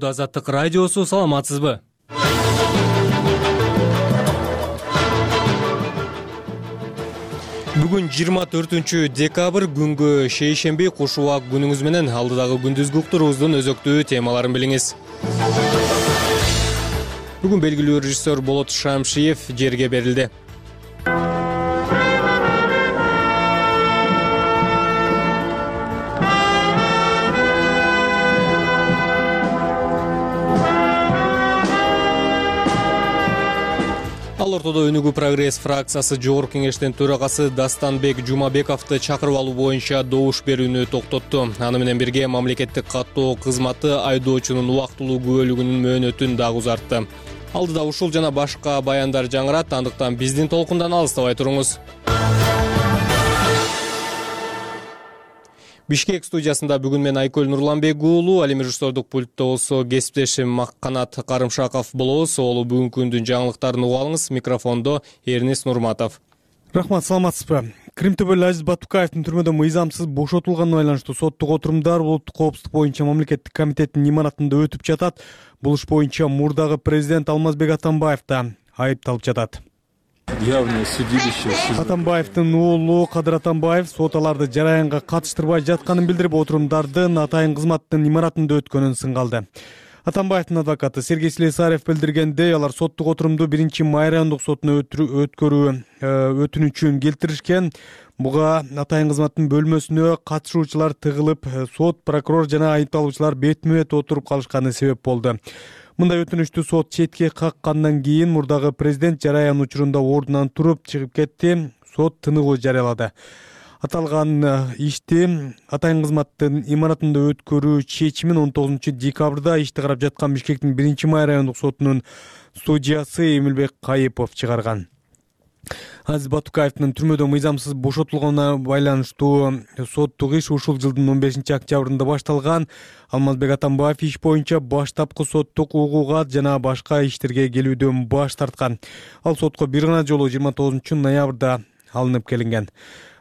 Азаттык радиосу, саламатсызбы? Бүгүн 24-декабрь күнгө шейшемби, куш убак күнүңүз менен алдыдагы күндүзгү уктуруубуздун өзөктүү темаларын билиңиз. Бүгүн белгилүү режиссер Болот Шамшиев жерге берилди. Ал ортодо Өнүгүү прогресс фракциясы жогорку кеңештин төрагасы Дастанбек Жумабековду чакырып алуу боюнча добуш берүүнү токтотту. Аны менен бирге мамлекеттик каттоо кызматы айдоочунун убактылуу күбөлүгүнүн мөөнөтүн дагы узартты. Алдыда ушул жана башка баяндар жаңырат, андыктан биздин толкундан алыстабай туруңуз. Бишкек студиясында бүгүн мен Айкөл Нурланбек уулу, ал эми режиссердук пультта болсо кесиптешим Макканат Карымшаков болобуз. Олу бүгүнкү күндүн жаңылыктарын угуп алыңыз. Микрофондо Эрнис Нурматов. Рахмат, саламатсызбы? Крим төбөлү Азиз Батукаевдин түрмөдөн мыйзамсыз бошотулганына байланыштуу соттук отурумдар улуттук коопсуздук боюнча мамлекеттик комитеттин имаратында өтүп жатат. Бул иш боюнча мурдагы президент Алмазбек Атамбаев да айыпталып жатат. Атамбаевдин уулу Кадыр Атамбаев сот аларды жараянга катыштырбай жатканын билдирип, отурумдардын атайын кызматтын имаратында өткөнүн сынгалды. Атамбаевдин адвокаты Сергей Слесарев билдиргендей, алар соттук отурумду 1-май райондук сотуна өткөрүү өтүнүчүн келтиришкен. Буга атайын кызматтын бөлмөсүнө катышуучулар тыгылып, сот, прокурор жана айыпталуучулар бетме-бет отуруп калышканы себеп болду. Мындай өтүнүштү сот четке каккандан кийин мурдагы президент жараян учурунда ордунан туруп чыгып кетти. Сот тыныгуу жарыялады. Аталган ишти атайын кызматтын имаратында өткөрүү чечимин 19-декабрда ишти карап жаткан Бишкектин 1-май райондук сотунун судьясы Эмилбек Кайыпов чыгарган. Азиз Батукаевдин түрмөдөн мыйзамсыз бошотулганына байланыштуу соттук иш ушул жылдын 15-октябрында башталган. Алмазбек Атамбаев иш боюнча баштапкы соттук угууга жана башка иштерге келүүдөн баш тарткан. Ал сотко бир гана жолу 29-ноябрда алынып келинген.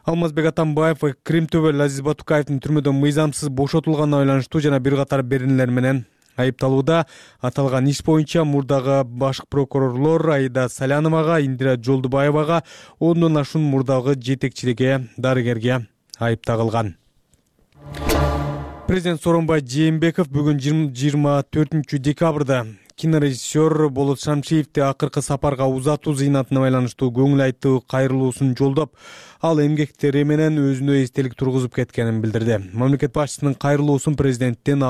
Алмазбек Атамбаев Крим төбөлү Азиз Батукаевдин түрмөдөн мыйзамсыз бошотулганына байланыштуу жана бир катар беренелер менен айыпталууда. Аталган иш боюнча мурдагы башкы прокурорлор Аида Саляновага, Индира Жолдубаевага, ондон ашуун мурдагы жетекчиликке, дарыгерге айып тагылган. Президент Сооронбай Жээнбеков бүгүн 24-декабрда кинорежиссер Болот Шамшиевди акыркы сапарга узатуу зыйнатына байланыштуу көңүл айтуу кайрылуусун жолдоп, ал эмгектери менен өзүнө эстелик тургузуп кеткенин билдирди. Мамлекет башчысынын кайрылуусун президенттик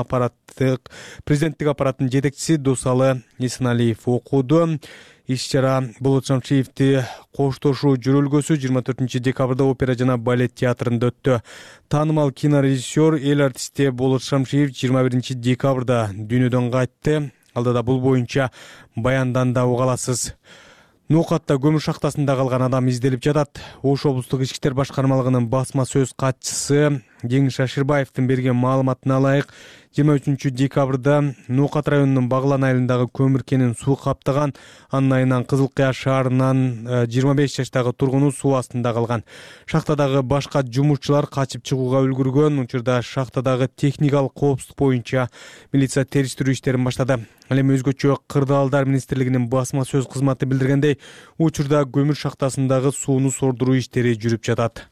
аппараттын жетекчиси Досалы Эсеналиев окуду. Иш-чара Болот Шамшиевди коштошуу жөрөлгөсү 24-декабрда опера жана балет театрында өттү. Таанымал кинорежиссер, эл артисти Болот Шамшиев 21-декабрда дүйнөдөн кайтты. Алдыда бул боюнча баяндан да уга аласыз. Нукатта көмүр шахтасында калган адам изделип жатат. Ош облустук ички иштер башкармалыгынын басма сөз катчысы Жеңиш Аширбаевдин берген маалыматына ылайык, 23-декабрда Нукат районунун Баглан айылындагы көмүр кенин суу каптаган. Анын айынан Кызыл Кыя шаарынын 25 жаштагы тургуну суу астында калган. Шахтадагы башка жумушчулар качып чыгууга үлгүргөн. Учурда шахтадагы техникалык коопсуздук боюнча милиция териштирүү иштерин баштады. Ал эми өзгөчө Кырдаалдар министрлигинин басма сөз кызматы билдиргендей, учурда көмүр шахтасындагы сууну сордуруу иштери жүрүп жатат.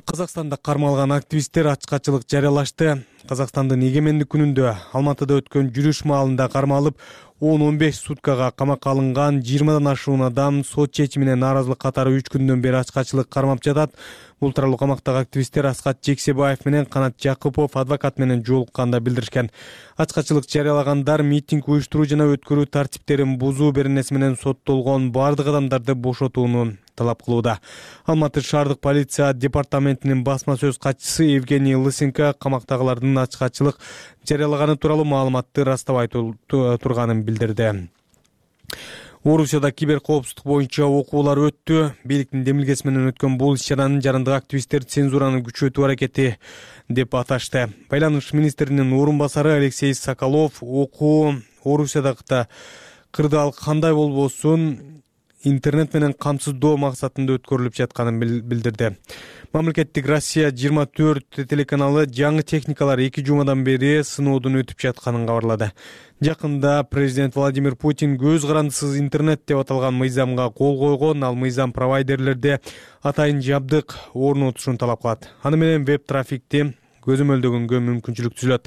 Казакстанда кармалган активисттер ачкачылык жарыялашты. Казакстандын эгемендик күнүндө Алматыда өткөн жүрүш маалында кармалып, 10-15 суткага камакка алынган 20дан ашуун адам сот чечимине нааразылык катары 3 күндөн бери ачкачылык кармап жатат. Бул тууралуу камактагы активисттер Аскат Жексебаев менен Канат Жакупов адвокат менен жолукканда билдиришкен. Ачкачылык жарыялагандар митинг уюштуруу жана өткөрүү тартиптерин бузуу беренеси менен соттолгон бардык адамдарды бошотууну талап кылууда. Алматы шаардык полиция департаментинин басма сөз катчысы Евгений Лысенко камактагылардын ачкачылык жарыялаганы тууралуу маалыматты растабай турганын билдирди. Орусияда киберкоопсуздук боюнча окуулар өттү. Бийликтин демилгеси менен өткөн бул иш-чараны жарандык активисттер цензураны күчөтүү аракети деп аташты. Байланыш министринин орун басары Алексей Соколов окуу Орусиядагы кырдаал кандай болбосун интернет менен камсыздоо максатында өткөрүлүп жатканын билдирди. Мамлекеттик Россия 24 телеканалы жаңы техникалар 2 жумадан бери сыноодон өтүп жатканын кабарлады. Жакында президент Владимир Путин көз карандысыз интернет деп аталган мыйзамга кол койгон, ал мыйзам провайдерлерде атайын жабдык орнотушун талап кылат. Аны менен веб трафикти көзөмөлдөгөнгө мүмкүнчүлүк түзүлөт.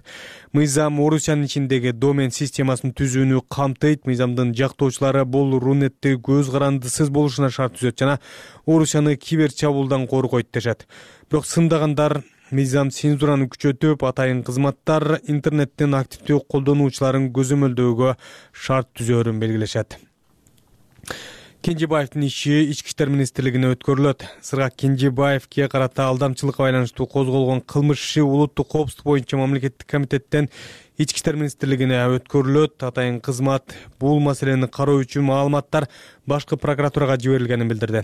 Мыйзам Орусиянын ичиндеги домен системасын түзүүнү камтыйт. Мыйзамдын жактоочулары бул Рунетти көз карандысыз болушуна шарт түзөт жана Орусияны кибер чабуулдан коргойт дешет. Бирок сындагандар мыйзам цензураны күчөтүп, атайын кызматтар интернеттин активдүү колдонуучуларын көзөмөлдөөгө шарт түзөөрүн белгилешет. Кенжебаевдин иши Ички иштер министрлигине өткөрүлөт. Сыргак Кенжебаевге карата алдамчылыкка байланыштуу козголгон кылмыш иши улуттук коопсуздук боюнча мамлекеттик комитеттен Ички иштер министрлигине өткөрүлөт. Атайын кызмат бул маселени кароо үчүн маалыматтар башкы прокуратурага жиберилгенин билдирди.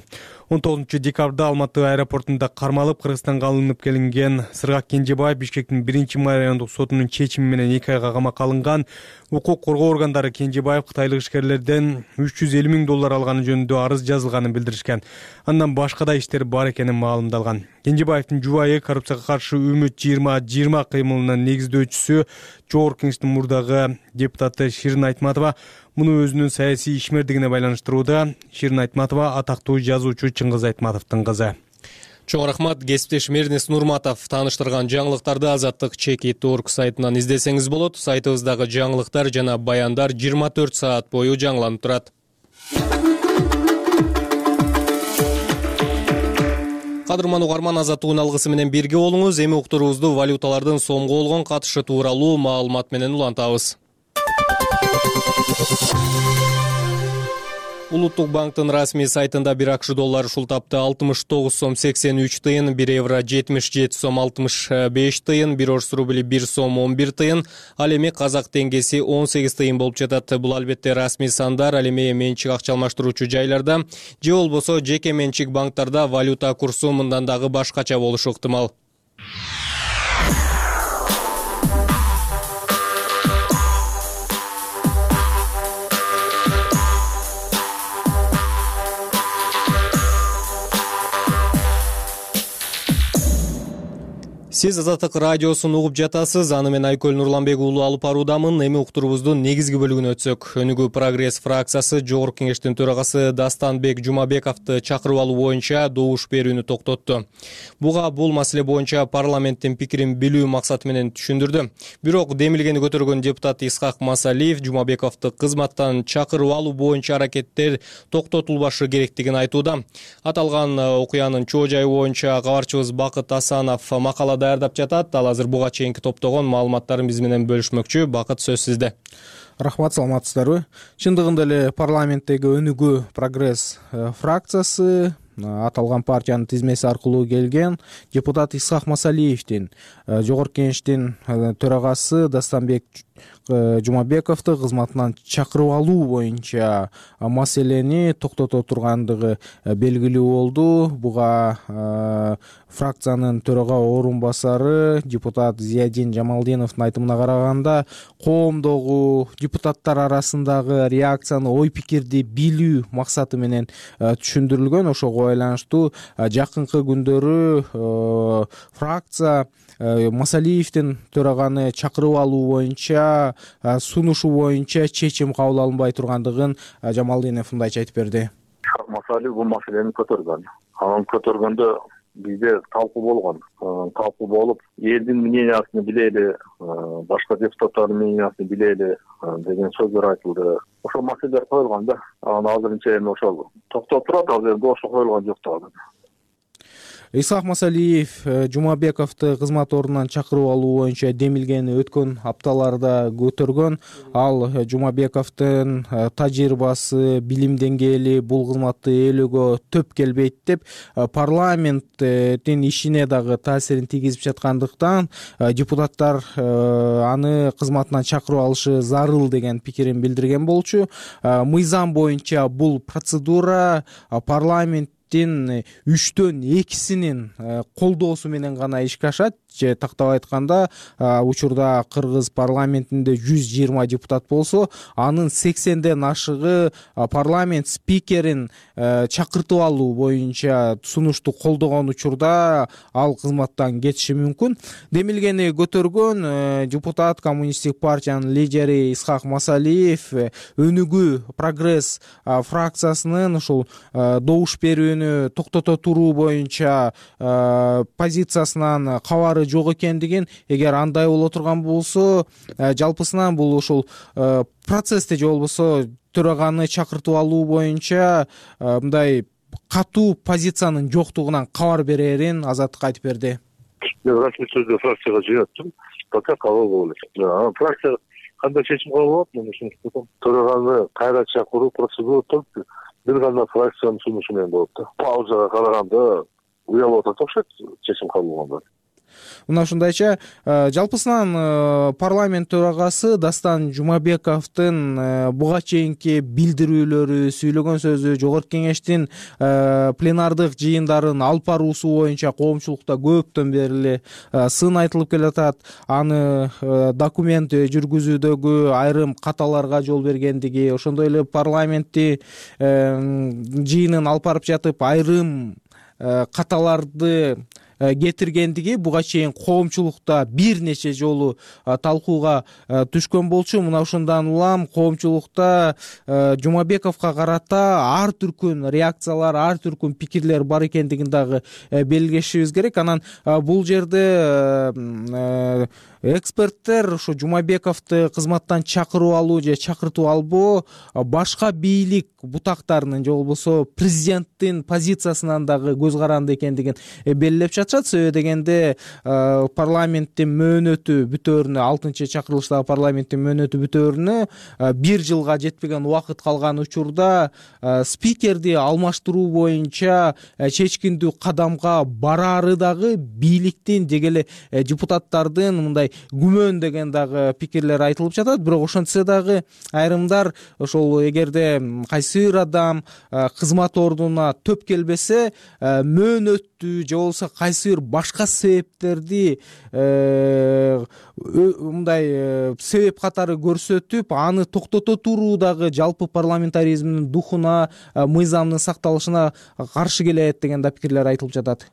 19 декабрда Алматы аэропортунда кармалып Кыргызстанга алынып келинген Сыргак Кенжебаев Бишкектин 1-май райондук сотунун чечими менен 2 айга камакка алынган. Укук коргоо органдары Кенжебаев кытайлык ишкерлерден $350,000 алганы жөнүндө арыз жазылганын билдиришкен. Андан башка да иштер бар экенин маалымдалган. Кенжебаевдин жубайы коррупцияга каршы үмүт 2020 кыймылынын негиздөөчүсү Жогорку Кеңештин мурдагы депутаты Ширин Айтматова муну өзүнүн саясий ишмердигине байланыштырууда. Ширин Айтматова атактуу жазуучу Чыңгыз Айтматовдун кызы. Чоң рахмат. Кесиптешим Эрнест Нурматов тааныштырган жаңылыктарды Азаттык Чеки.org сайтынан издесеңиз болот. Сайтыбыздагы жаңылыктар жана баяндар 24 саат бою жаңыланып турат. Кадырман угарман, Азаттыктын алгысы менен бирге болуңуз. Эми уктуруубузду валюталардын сомго болгон катышы тууралуу маалымат менен улантабыз. Улуттук банктын расмий сайтында 1 акш доллары ушул тапты 69 сом 83 тыйын, 1 евро 77 сом 65 тыйын, 1 орус рубли 1 сом 11 тыйын, ал эми казак теңгеси 18 тыйын болуп жатат. Бул албетте расмий сандар, ал эми менчик акча алмаштыруучу жайларда же болбосо жеке менчик банктарда валюта курсу мындан дагы башкача болушу ыктымал. Сиз Азаттык радиосун угуп жатасыз. Аны мен Айкөл Нурланбек уулу алып баруудамын. Эми уктуруубуздун негизги бөлүгүнө өтсөк. Өнүгүү прогресс фракциясы Жогорку Кеңештин төрагасы Дастанбек Жумабековду чакырып алуу боюнча добуш берүүнү токтотту. Буга бул маселе боюнча парламенттин пикирин билүү максаты менен түшүндүрдү. Бирок демилгени көтөргөн депутат Исхак Масалиев Жумабековду кызматтан чакырып алуу боюнча аракеттер токтотулбашы керектигин айтууда. Аталган окуянын чоо жайы боюнча кабарчыбыз Бакыт Асанов макала даярдап жатат. Ал азыр буга чейинки топтогон маалыматтарын биз менен бөлүшмөкчү. Бакыт, сөз сизде. Рахмат, саламатсыздарбы? Чындыгында эле парламенттеги Өнүгүү прогресс фракциясы аталган партиянын тизмеси аркылуу келген депутат Исхак Масалиевдин Жогорку Кеңештин төрагасы Дастанбек Жумабековду кызматынан чакырып алуу боюнча маселени токтото тургандыгы белгилүү болду. Буга фракциянын төрага орун басары депутат Зиядин Жамалдиновдун айтымына караганда, коомдогу депутаттар арасындагы реакцияны, ой пикирди билүү максаты менен түшүндүрүлгөн. Ошого байланыштуу жакынкы күндөрү фракция Масалиевдин төраганы чакырып алуу боюнча сунушу боюнча чечим кабыл алынбай тургандыгын Жамалдинов мындайча айтып берди. Масалиев бул маселени көтөргөн. Анан көтөргөндө бизде талкуу болгон. Талкуу болуп, элдин мнениясын билели, башка депутаттардын мнениясын билели деген сөздөр айтылды. Ошол маселелер коюлган да. Анан азырынча эми ошол токтоп турат, азыр ошо коюлган жок да. Исхак Масалиев Жумабековду кызмат ордунан чакырып алуу боюнча демилгени өткөн апталарда көтөргөн. Ал Жумабековдун тажрыйбасы, билим деңгээли бул кызматты ээлөөгө төп келбейт деп парламенттин ишине дагы таасирин тийгизип жаткандыктан депутаттар аны кызматынан чакырып алышы зарыл деген пикирин билдирген болчу. Мыйзам боюнча бул процедура парламент 3/2 колдоосу менен гана ишке ашат. же тактап айтканда учурда кыргыз парламентинде 120 депутат болсо, анын 80ден ашыгы парламент спикерин чакыртып алуу боюнча сунушту колдогон учурда ал кызматтан кетиши мүмкүн. Демилгени көтөргөн депутат Коммунисттик партиянын лидери Исхак Масалиев Өнүгүү Прогресс фракциясынын ушул добуш берүүнү токтото туруу боюнча позициясынан кабары жок экендигин, эгер андай боло турган болсо, жалпысынан бул ушул процессте же болбосо төраганы чакыртып алуу боюнча мындай катуу позициянын жоктугунан кабар берерин Азаттыкка айтып берди. Мен расмий түрдө фракцияга жыйнаттым, пока кабыл болуп элек. Фракция кандай чечим кабыл болот, мен ушуну төраганы кайра чакыруу процедура только бир гана фракциянын сунушу менен болот да. Паузага караганда уялып атат окшойт чечим кабыл болгондо. Мына ушундайча жалпысынан парламент төрагасы Дастан Жумабековдун буга чейинки билдирүүлөрү, сүйлөгөн сөзү, жогорку кеңештин пленардык жыйындарын алып баруусу боюнча коомчулукта көптөн бери сын айтылып келатат. Аны документ жүргүзүүдөгү айрым каталарга жол бергендиги, ошондой эле парламентти жыйынын алып барып жатып айрым каталарды кетиргендиги буга чейин коомчулукта бир нече жолу талкууга түшкөн болчу. Мына ушундан улам коомчулукта Жумабековго карата ар түркүн реакциялар, ар түркүн пикирлер бар экендигин дагы белгилешибиз керек. Анан бул жерде эксперттер ушу Жумабековду кызматтан чакырып алуу же чакыртып албоо башка бийлик бутактарынын же болбосо президенттин позициясынан дагы көз каранды экендигин белгилеп жатышат. Себеби дегенде парламенттин мөөнөтү бүтөөрүнө, 6-чакырылыштагы парламенттин мөөнөтү бүтөөрүнө 1 жылга жетпеген убакыт калган учурда спикерди алмаштыруу боюнча чечкиндүү кадамга бараары дагы бийликтин деги эле депутаттардын мындай күмөн деген дагы пикирлер айтылып жатат. Бирок ошентсе дагы айрымдар ошол эгерде кайсы бир адам кызмат ордуна төп келбесе, мөөнөттү же болбосо кайсы бир башка себептерди мындай себеп катары көрсөтүп, аны токтото туруу дагы жалпы парламентаризмдин духуна, мыйзамдын сакталышына каршы келет деген да пикирлер айтылып жатат.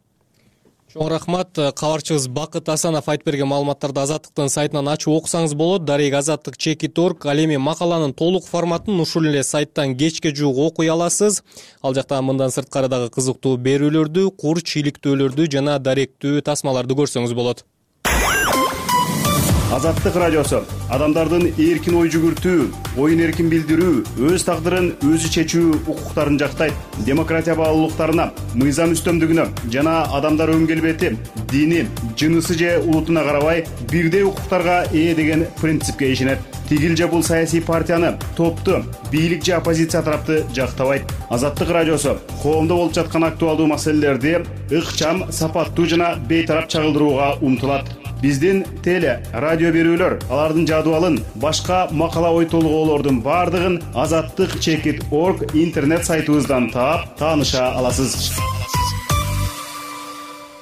Чоң рахмат. Кабарчыбыз Бакыт Асанов айтып берген маалыматтарды Азаттыктын сайтынан ачып окусаңыз болот. Дарек azattik.org. Ал эми макаланын толук форматын ушул эле сайттан кечке жуук окуй аласыз. Ал жакта мындан сырткары дагы кызыктуу берүүлөрдү, курч иликтөөлөрдү жана даректүү тасмаларды көрсөңүз болот. Азаттык радиосу адамдардын эркин ой жүгүртүү, оюн эркин билдирүү, өз тагдырын өзү чечүү укуктарын жактайт. Демократия баалуулуктарына, мыйзам үстөмдүгүнө жана адамдар өң келбети, дини, жынысы же улутуна карабай бирдей укуктарга ээ деген принципке ишенет. Тигил же бул саясий партияны, топту, бийлик же оппозиция тарапты жактабайт. Азаттык радиосу коомдо болуп жаткан актуалдуу маселелерди ыкчам, сапаттуу жана бейтарап чагылдырууга умтулат. Биздин теле, радио берүүлөр, алардын жадыбалын, башка макала ой толгоолордун бардыгын azattik.org интернет сайтыбыздан таап, тааныша аласыз.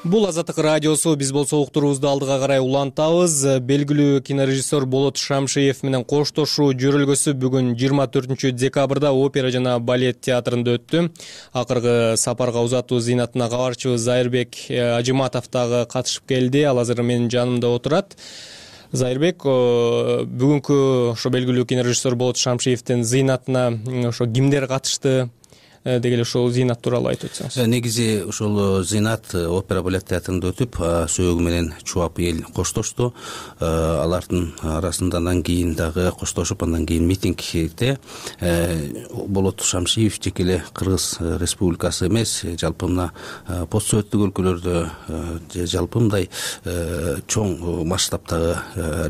Бул Азаттык радиосу. Биз болсо уктуруубузду алдыга карай улантабыз. Белгилүү кинорежиссер Болот Шамшиев менен коштошуу жөрөлгөсү бүгүн 24 декабрда опера жана балет театрында өттү. Акыркы сапарга узатуу зыйнатына кабарчыбыз Зайырбек Ажиматов дагы катышып келди. Ал азыр менин жанымда отурат. Зайырбек, бүгүнкү ошо белгилүү кинорежиссер Болот Шамшиевдин зыйнатына ошо кимдер катышты? Деги эле ошол зыйнат тууралуу айтып өтсөңүз. Негизи ошол зыйнат опера балет театрында өтүп, сөөгү менен чубап эл коштошту. Алардын арасында андан кийин дагы коштошуп, андан кийин митингде Болот Шамшиев жеке эле Кыргыз Республикасы эмес, жалпы мына пост советтик өлкөлөрдө же жалпы мындай чоң масштабтагы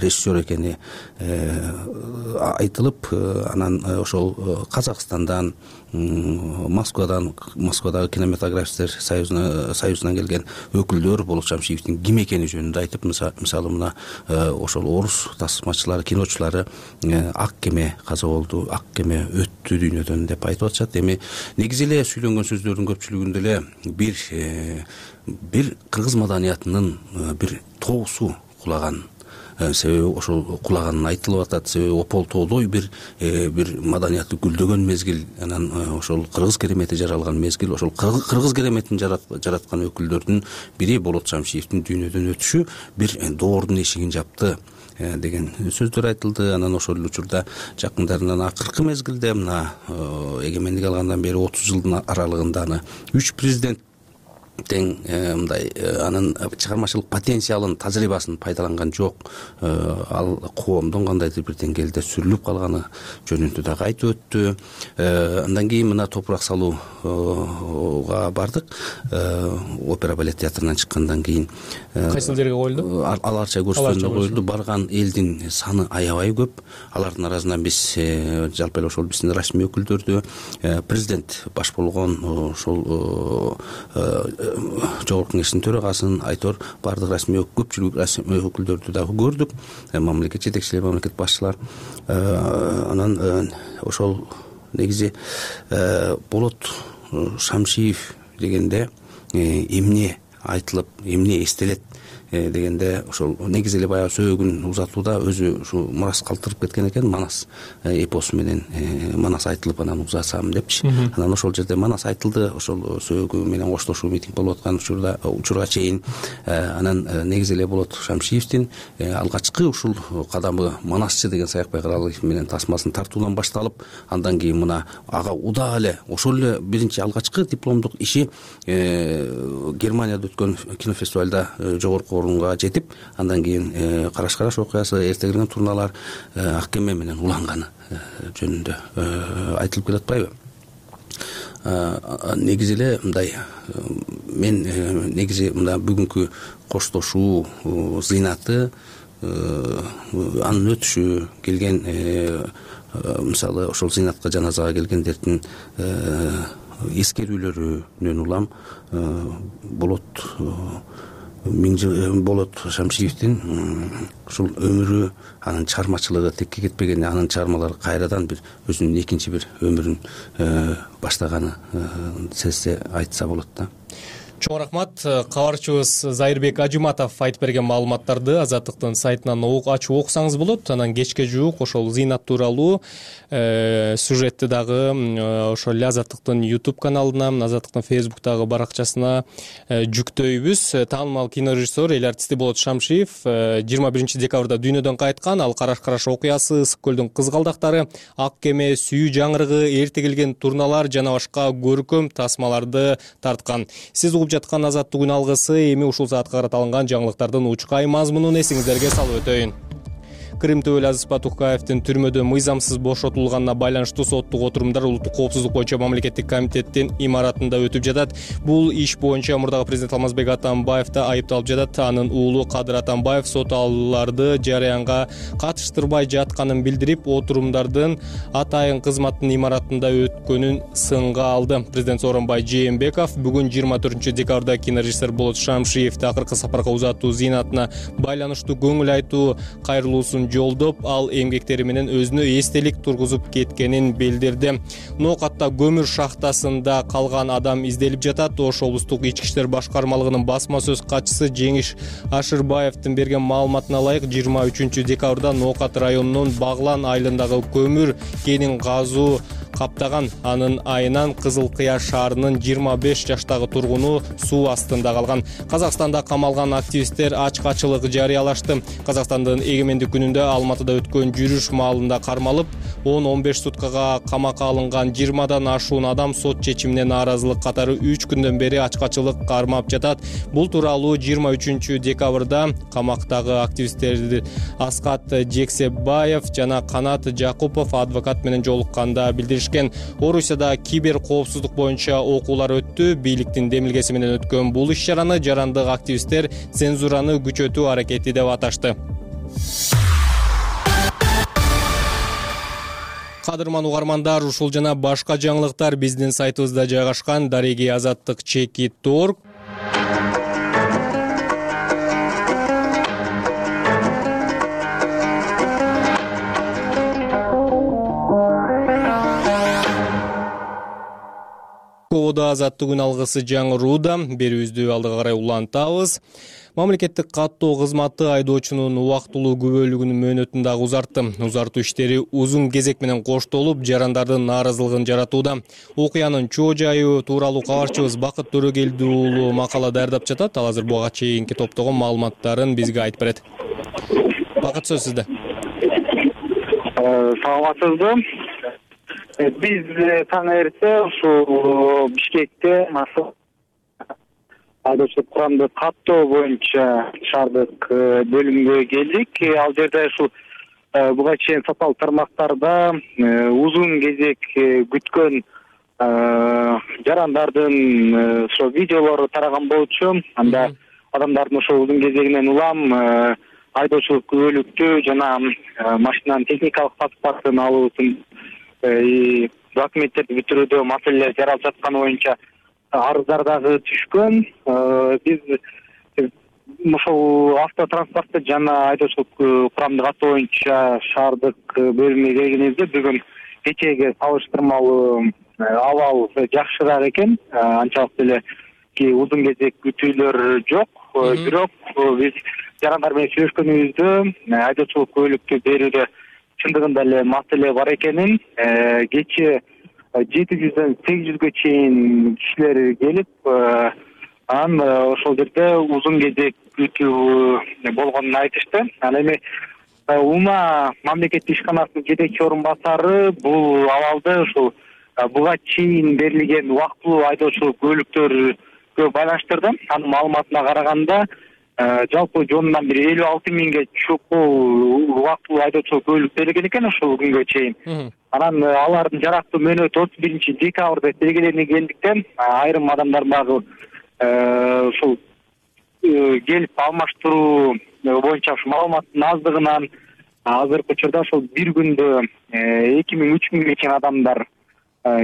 режиссер экени айтылып, анан ошол Казакстандан, Москвадагы кинематографисттер союзунан келген өкүлдөр Болот Шамшиевдин ким экени жөнүндө айтып, мисалы мына ошол орус тасмачылары, киночулары ак кеме каза болду, ак кеме өттү дүйнөдөн деп айтып атышат. Эми негизи эле сүйлөнгөн сөздөрдүн көпчүлүгүндө эле бир кыргыз маданиятынын бир тоосу кулаган, себеби ошол кулаганы айтылып атат. Себеби Опол тоодой бир маданияты гүлдөгөн мезгил, анан ошол кыргыз керемети жаралган мезгил, ошол кыргыз кереметин жараткан өкүлдөрдүн бири Болот Шамшиевдин дүйнөдөн өтүшү бир доордун эшигин жапты деген сөздөр айтылды. Анан ошол учурда жакындарынан акыркы мезгилде мына эгемендик алгандан бери 30 жылдын аралыгында аны 3 президент тең мындай анын чыгармачылык потенциалын, тажрыйбасын пайдаланган жок. Ал коомдун кандайдыр бир деңгээлде сүрүлүп калганы жөнүндө дагы айтып өттү. Андан кийин мына топурак салууга бардык. Опера балет театрынан чыккандан кийин кайсы элдерге коюлду? Аларча көрсөтүүнү коюлду. Барган элдин саны аябай көп. Алардын арасынан биз жалпы эле ошол биздин расмий өкүлдөрдү, президент баш болгон ошол Жогорку Кеңештин төрагасын, Айтор, бардык расмий көпчүлүк расмий өкүлдөрдү дагы көрдүк. Мамлекет жетекчилери, мамлекет башчылар. Анан ошол негизи Болот Шамшиев дегенде эмне айтылып, эмне эстелет дегенде ошол негизи эле баягы сөөгүн узатууда өзү ушу мурас калтырып кеткен экен. Манас эпосу менен Манас айтылып анан узатсам депчи. Анан ошол жерде Манас айтылды, ошол сөөгү менен коштошуу митинг болуп аткан учурга чейин. Анан негизи эле Болот Шамшиевдин алгачкы ушул кадамы Манасчы деген Саякбай Каралыев менен тасмасын тартуудан башталып, андан кийин мына ага удаа эле ошол эле биринчи алгачкы дипломдук иши Германияда өткөн кинофестивальда жогорку орунга жетип, андан кийин Караш окуясы, эртегирген турналар, ак кеме менен уланганы жөнүндө айтылып келатпайбы? Негизи эле мындай, мен негизи мына бүгүнкү коштошуу зыйнаты, анын өтүшү, келген мисалы ошол зыйнатка жаназага келгендердин эскерүүлөрүнөн улам Болот Шамшиевдин ушул өмүрү, анын чыгармачылыгы текке кетпеген, анын чыгармалары кайрадан бир өзүнүн экинчи бир өмүрүн баштаганы сезсе айтса болот да. Чоң рахмат. Кабарчыбыз Зайырбек Ажыматов айтып берген маалыматтарды Азаттыктын сайтынан ачып окусаңыз болот. Анан кечке жуук ошол зыйнат тууралуу сюжетти дагы ошол эле Азаттыктын YouTube каналына, Азаттыктын Facebook'тагы баракчасына жүктөйбүз. Таанымал кинорежиссер, эл артисти Болот Шамшиев 21 декабрда дүйнөдөн кайткан. Ал Караш окуясы, Ысык көлдүн кызгалдактары, Ак кеме, Сүйүү жаңырыгы, Эртегилген турналар жана башка көркөм тасмаларды тарткан. Сиз жаткан Азаттык алгысы эми ушул саатка карата алынган жаңылыктардын учкай мазмунун эсиңиздерге салып өтөйүн. Крым Төбөл Азиз Батукаевдин түрмөдө мыйзамсыз бошотулганына байланыштуу соттук отурумдар улуттук коопсуздук боюнча мамлекеттик комитеттин имаратында өтүп жатат. Бул иш боюнча мурдагы президент Алмазбек Атамбаев да айыпталып жатат. Анын уулу Кадыр Атамбаев сот алууларды жараянга катыштырбай жатканын билдирип, отурумдардын атайын кызматтын имаратында өткөнүн сынга алды. Президент Сооронбай Жээнбеков бүгүн 24 декабрда кинорежиссер Болот Шамшиевди акыркы сапарга узатуу зыйнатына байланыштуу көңүл айтуу кайрылуусун жолдоп, ал эмгектери менен өзүнө эстелик тургузуп кеткенин билдирди. Ноокатта көмүр шахтасында калган адам изделип жатат. Ош облустук ички иштер башкармалыгынын басма сөз катчысы Жеңиш Ашырбаевдин берген маалыматына ылайык 23 декабрда Ноокат районунун Баглан айылындагы көмүр кенин казуу каптаган. Анын айынан Кызыл Кыя шаарынын 25 жаштагы тургуну суу астында калган. Казакстанда камалган активисттер ачкачылык жарыялашты. Казакстандын эгемендик күнүндө Алматыда өткөн жүрүш маалында кармалып, 10-15 суткага камакка алынган 20дан ашуун адам сот чечимине нааразылык катары 3 күндөн бери ачкачылык кармап жатат. Бул тууралуу 23 декабрда камактагы активисттер Аскат Жексебаев жана Канат Жакупов адвокат менен жолукканда билдиришкен. Орусияда кибер коопсуздук боюнча окуулар өттү. Бийликтин демилгеси менен өткөн бул иш-чараны жарандык активисттер цензураны күчөтүү аракети деп аташты. Кадырман угармандар, ушул жана башка жаңылыктар биздин сайтыбызда жайгашкан. Дареги Азаттык Чекит.org. Ковода азаттыгын алгысы жаңырууда, берүүбүздү алдыга карай улантабыз. Мамлекеттик каттоо кызматы айдоочунун убактылуу күбөлүгүнүн мөөнөтүн дагы узартты. Узартуу иштери узун кезек менен коштолуп, жарандардын нааразылыгын жаратууда. Окуянын чоо жайы тууралуу кабарчыбыз Бакыт Төрөгелди уулу макала даярдап жатат. Ал азыр буга чейинки топтогон маалыматтарын бизге айтып берет. Бакыт, сөз сизде. Саламатсызбы? Биз таң эрте ушул Бишкекте айдоочулук курамды каттоо боюнча шаардык бөлүмгө келдик. Ал жерде ушул буга чейин сапалуу тармактарда узун кезек күткөн жарандардын ошо видеолору тараган болчу. Анда адамдардын ошо узун кезегинен улам айдоочулук күбөлүктүү жана машинанын техникалык паспортун алуусун документтерди бүтүрүүдө маселелер жаралып жатканы боюнча арыздар дагы түшкөн. Биз ошол автотранспорту жана айдоочулук курамды каттоо боюнча шаардык бөлүмгө келгенибизде бүгүн кечээге салыштырмалуу абал жакшыраак экен. Анчалык деле узун кезек күтүүлөр жок. Бирок биз жарандар менен сүйлөшкөнүбүздө айдоочулук күбөлүктү берүүдө чындыгында эле маселе бар экенин, кечээ 700дөн 800гө чейин кишилер келип, ошол жерде узун кезек күтүү болгонун айтышты. Ал эми Ума мамлекеттик ишканасынын жетекчи орун басары бул абалды ушул буга чейин берилген убактылуу айдоочулук күбөлүктөргө байланыштырды. Анын маалыматына караганда жалпы жонунан бир 56 миңге чукул убактылуу айдоочулук күбөлүк берилген экен ушул күнгө чейин. Анан алардын жарактуу мөөнөтү 31 декабрда белгиленгендиктен айрым адамдар дагы ушул келип алмаштыруу боюнча ушу маалыматтын аздыгынан азыркы учурда ошол бир күндө 2000-3000 миңге чейин адамдар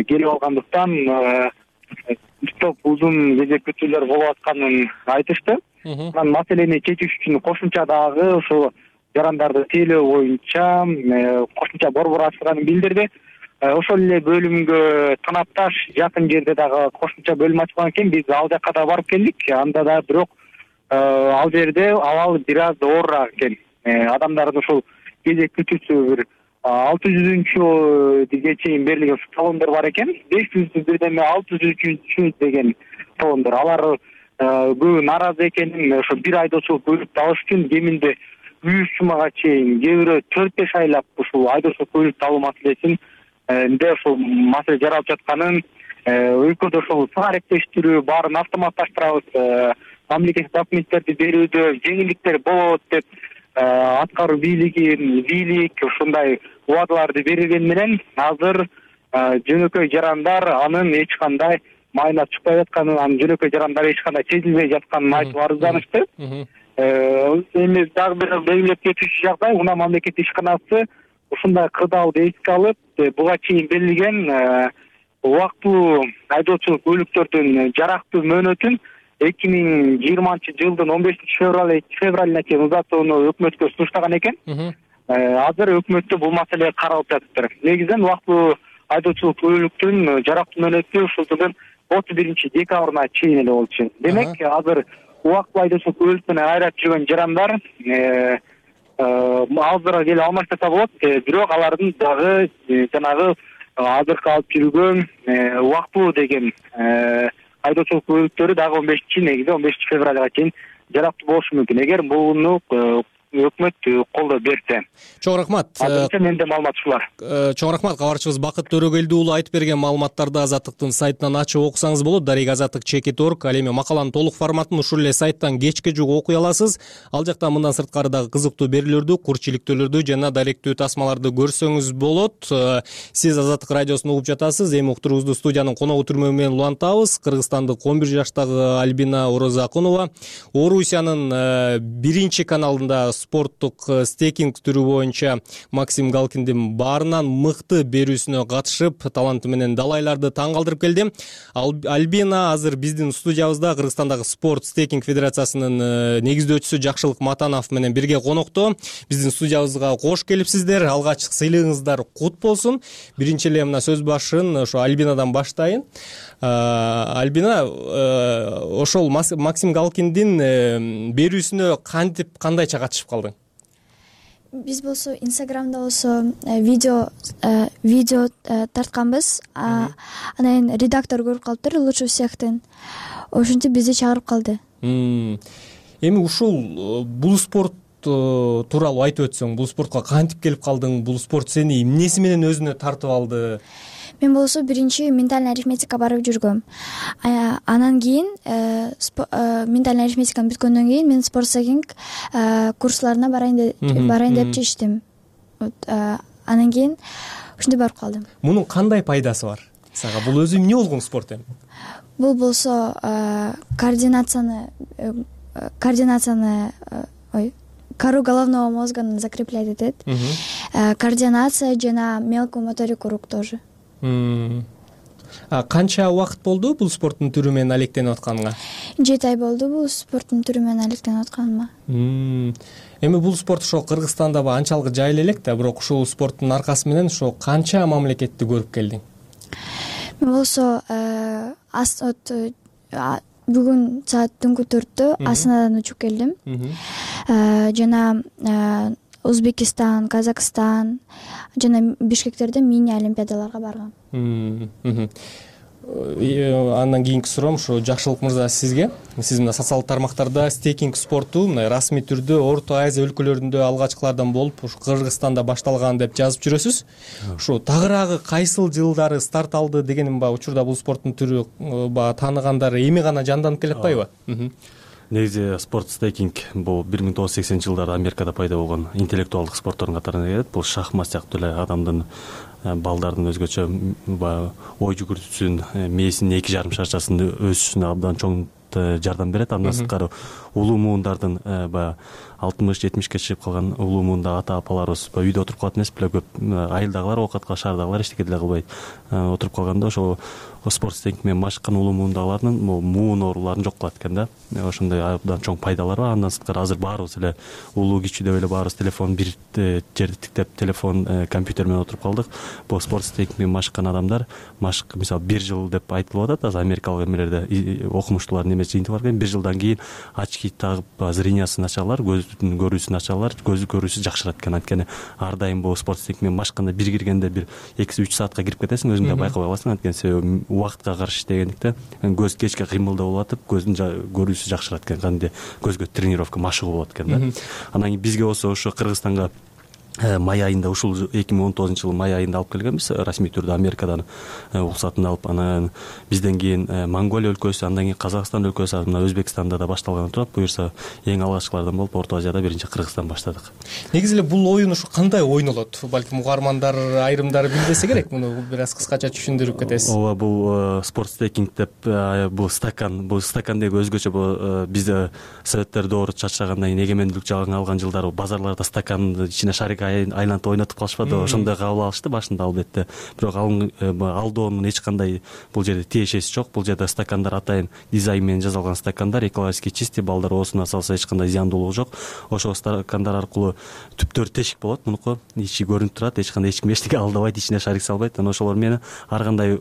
келип алгандыктан топ узун кезек күтүүлөр болуп атканын айтышты. Анан маселени чечиш үчүн кошумча дагы ошол жарандарды тейлөө боюнча кошумча борбор ачылганын билдирди. Ошол эле бөлүмгө танапташ жакын жерде дагы кошумча бөлүм ачылган экен. Биз ал жака да барып келдик. Анда да бирок ал жерде абал бир аз оорураак экен. Адамдардын ошол кезек күтүүсү бир 600-ге чейин берилген талондор бар экен. 500 бирдеме 600 деген талондор. Алар көбү нааразы экенин, ошо бир айдоочулук күбөлүктү алыш үчүн кеминде 100 сумага чейин, кээ бирөө 4-5 айлап ушул айдоочулук күбөлүктү алуу маселесин ошол маселе жаралып жатканын, өлкөдө ошол сыңар-эптештирүү баарын автоматташтырабыз, мамлекеттик документтерди берүүдө жеңилдиктер болот деп аткаруу бийлик ушундай убадаларды берилгени менен азыр жөнөкөй жарандар анын эч кандай майына чыкпай жатканын, анын жөнөкөй жарандар эч кандай сезилбей жатканын айтып арызданышты. Эми дагы бир белгилеп кетүүчү жагдай, Уна мамлекеттик ишканасы ушундай кырдаалды эске алып, буга чейин берилген убактылуу айдоочулук күбөлүктөрдүн жарактуу мөөнөтүн 2020-жылдын 15-февралына чейин узатууну өкмөткө сунуштаган экен. Азыр өкмөттө бул маселе каралып жатыптыр. Негизинен убактылуу айдоочулук күбөлүктүн жарактуу мөөнөтү ушул жылдын 31 декабрына чейин эле болчу. Демек, азыр убактылуу айдоочулук күбөлүк менен айрат жүргөн жарандар азыр келе алмаштаса болот. Бирок алардын дагы жанагы азыркы алып жүргөн убактылуу деген айдоочулук күбөлүктөрү дагы 15 февралга чейин жарактуу болушу мүмкүн, эгер буну өкмөт колдоп берсе. Чоң рахмат. Азырынча менде маалымат ушулар. Чоң рахмат. Кабарчыбыз Бакыт Төрөгелди уулу айтып берген маалыматтарды Азаттыктын сайтынан ачып окусаңыз болот. Дареги Азаттык Чекит.org. Ал эми макаланын толук форматын ушул эле сайттан кечке жук окуй аласыз. Ал жакта мындан сырткары дагы кызыктуу берүүлөрдү, курчиликтөөлөрдү жана даректүү тасмаларды көрсөңүз болот. Сиз Азаттык радиосун угуп жатасыз. Эми уктуруубузду студиянын коногу түрмө менен улантабыз. Кыргызстандык 11 жаштагы Альбина Орозакунова Орусиянын 1 каналында спорттук стейкинг түрү боюнча Максим Галкиндин баарынан мыкты берүүсүнө катышып, таланты менен далайларды таң калтырып келди. Альбина азыр биздин студиябызда Кыргызстандагы спорт стейкинг федерациясынын негиздөөчүсү Жакшылык Матанов менен бирге конокто. Биздин студиябызга кош келипсиздер. Алгачкы сыйлыгыңыздар кут болсун. Биринчи эле мына сөз башын ошо Альбинадан баштайын. Альбина, ошол Максим Галкиндин берүүсүнө кандайча катышып калдың? Биз болсо Инстаграмда болсо видео тартканбыз. Анан редактор көрүп калыптыр, лучше всехтен. Ошентип бизди чыгарып калды. Эми ушул бул спорт тууралуу айтып өтсөң, бул спортко кантип келип калдың? Бул спорт сени эмнеси менен өзүнө тартып алды? Мен болсо биринчи ментальный арифметика барып жүргөм. Анан кийин ментальный арифметиканы бүткөндөн кийин мен спортстейкинг курсларына барайын деп чечтим. Анан кийин ушинтип барып калдым. Мунун кандай пайдасы бар сага? Бул өзү эмне болгон спорт эми? Бул болсо кору головного мозга закреплять этет. Координация жана мелкую моторику рук тоже. Канча убакыт болду бул спорттун түрү менен алектенип атканыңа? 7 ай болду бул спорттун түрү менен алектенип атканыма. Эми бул спорт ошо Кыргызстанда анчалык жайлы элек да, бирок ушул спорттун аркасы менен ошо канча мамлекетти көрүп келдиң? Мен болсо бүгүн саат түнкү 4-тө Астанадан учуп келдим. Жана Узбекистан, Казакстан жана Бишкектерде мини олимпиадаларга баргам. Андан кийинки суроом ошо Жакшылык мырза сизге. Сиз мына социалдык тармактарда стейкинг спорту мына расмий түрдө Орто Азия өлкөлөрүндө алгачкылардан болуп, ушу Кыргызстанда башталган деп жазып жүрөсүз. Ушу тагыраагы кайсыл жылдары старт алды дегеним учурда бул спорттун түрү тааныгандар эми гана жанданып келе атпайбы? Негизи спорт стейкинг бул 1980-жылдарда Америкада пайда болгон интеллектуалдык спорттордун катарына кирет. Бул шахмат сыяктуу эле адамдын балдардын өзгөчө ой жүгүртүүсүн, мээсинин 2,5 шарчасын өсүшүнө абдан чоң жардам берет. Андан сырткары улуу муундардын 60-70ке чыгып калган улуу муунда ата апаларыбыз үйдө отуруп калат эмес беле, көп айылдагылар, оокатка шаардагылар эчтеке деле кылбай отуруп калганда ошо спорт стейкинг менен машыккан улуу муундагылардын муун ооруларын жок кылат экен да. Ошондой абдан чоң пайдалары бар. Андан сырткары азыр баарыбыз эле улуу кичүү деп эле баарыбыз телефон бир жерди тиктеп, телефон, компьютер менен отуруп калдык. Бул спорт стейкинг менен машыккан адамдар, мисалы 1 жыл деп айтылып атат, азыр америкалык эмелерде окумуштуулардын эмеси жыйынтыгы бар экен. 1 жылдан кийин очки тагып зрениясын ачалар, көздүн көрүүсүн ачалар, көз көрүүсү жакшырат экен. Анткени ар дайым бул спорт стейкинг менен машыкканда бир киргенде бир 2-3 саатка кирип кетесиң, өзүң да байкабай каласың. Анткени себеби убакытка каршы иштегендиктен көз кечке кыймылдоо болуп атып, көздүн көрүүсү жакшырат экен. Кандайдыр көзгө тренировка, машыгуу болот экен да. Анан кийин бизге болсо ошо Кыргызстанга май айында, ушул 2019-жылы май айында алып келгенбиз, расмий түрдө Америкадан уруксатын алып. Анан бизден кийин Монголия өлкөсү, андан кийин Казакстан өлкөсү, мына Өзбекстанда да башталган турат. Буюрса эң алгачкылардан болуп Орто Азияда биринчи Кыргызстан баштадык. Негизи эле бул оюн ушу кандай ойнолот? Балким угармандар айрымдары билбесе керек, муну бир аз кыскача түшүндүрүп кетесиз. Ооба, бул спорт стейкинг деп бул стакандеги өзгөчө бизде Советтер доору чачрагандан кийин эгемендүүлүк жаңы алган жылдары базарларда стаканды ичине шарик айлантып ойнотуп калышпады. Ошондой кабыл алышты башында албетте. Бирок алдоонун эч кандай бул жерде тиешеси жок. Бул жерде стакандар атайын дизайн менен жасалган стакандар, экологически чисти, балдар оосуна салса эч кандай зыяндуулугу жок. Ошол стакандар аркылуу түптөр тешик болот, мунуку ичи көрүнүп турат, эч кандай эчким эчтеке алдабайт, ичине шарик салбайт. Анан ошолор менен ар кандай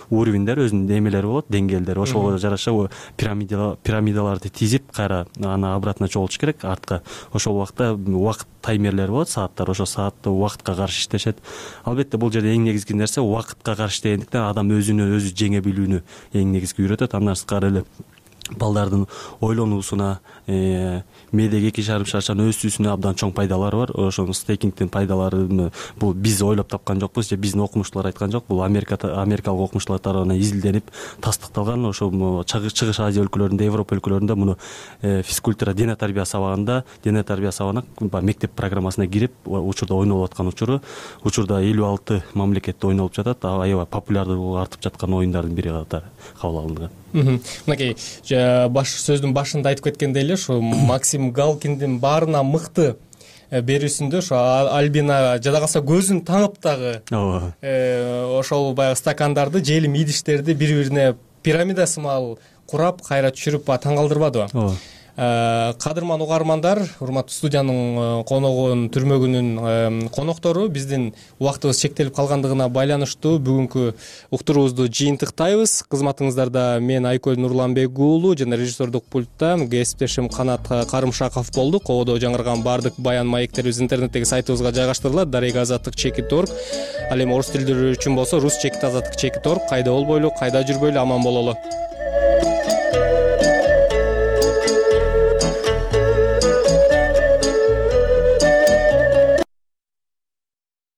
уровеньдер, өзүнүн эмелери болот, деңгээлдери. Ошого жараша пирамидаларды тизип, кайра аны обратно чогултуш керек артка. Ошол убакта убакыт таймерлери болот, сааттар. Ошол саатты убакытка каршы иштешет. Албетте бул жерде эң негизги нерсе убакытка каршы иштегендиктен адам өзүнө өзү жеңе билүүнү эң негизги үйрөтөт. Андан сырткары эле балдардын ойлонуусуна, мээдеги 2,5 шарчанын өсүүсүнө абдан чоң пайдалары бар. Ошол стейкингдин пайдаларын бул биз ойлоп тапкан жокпуз же биздин окумуштуулар айткан жок. Бул америкалык окумуштуулар тарабынан изилденип, тастыкталган. Ошол Чыгыш Азия өлкөлөрүндө, Европа өлкөлөрүндө муну физкультура, дене тарбия сабагында, дене тарбия сабагына мектеп программасына кирип, учурда ойнолуп аткан учурда 56 мамлекетте ойнолуп жатат. Аябай популярдуулугу артып жаткан оюндардын бири катары кабыл алынган. Мынакей сөздүн башында айтып кеткендей эле ушу Максим Галкиндин баарына мыкты берүүсүндө ошо Альбина жада калса көзүн таңып дагы ошол баягы стакандарды желим идиштерди бири бирине пирамида сымал курап кайра түшүрүп таң калтырбадыбы? Ооба. Кадырман угармандар, урматтуу студиянын коногун түрмөгүнүн коноктору, биздин убактыбыз чектелип калгандыгына байланыштуу бүгүнкү уктуруубузду жыйынтыктайбыз. Кызматыңыздарда мен Айкөл Нурланбек уулу жана режиссердук пультта кесиптешим Канат Карымшаков болду. Кободо жаңырган баардык баян маектерибиз интернеттеги сайтыбызга жайгаштырылат. Дарега Азаттык.org. Ал эми орус тилдүүлөр үчүн болсо Рус.Azattik.org. Кайда болбойлу, кайда жүрбөйлү, аман бололу.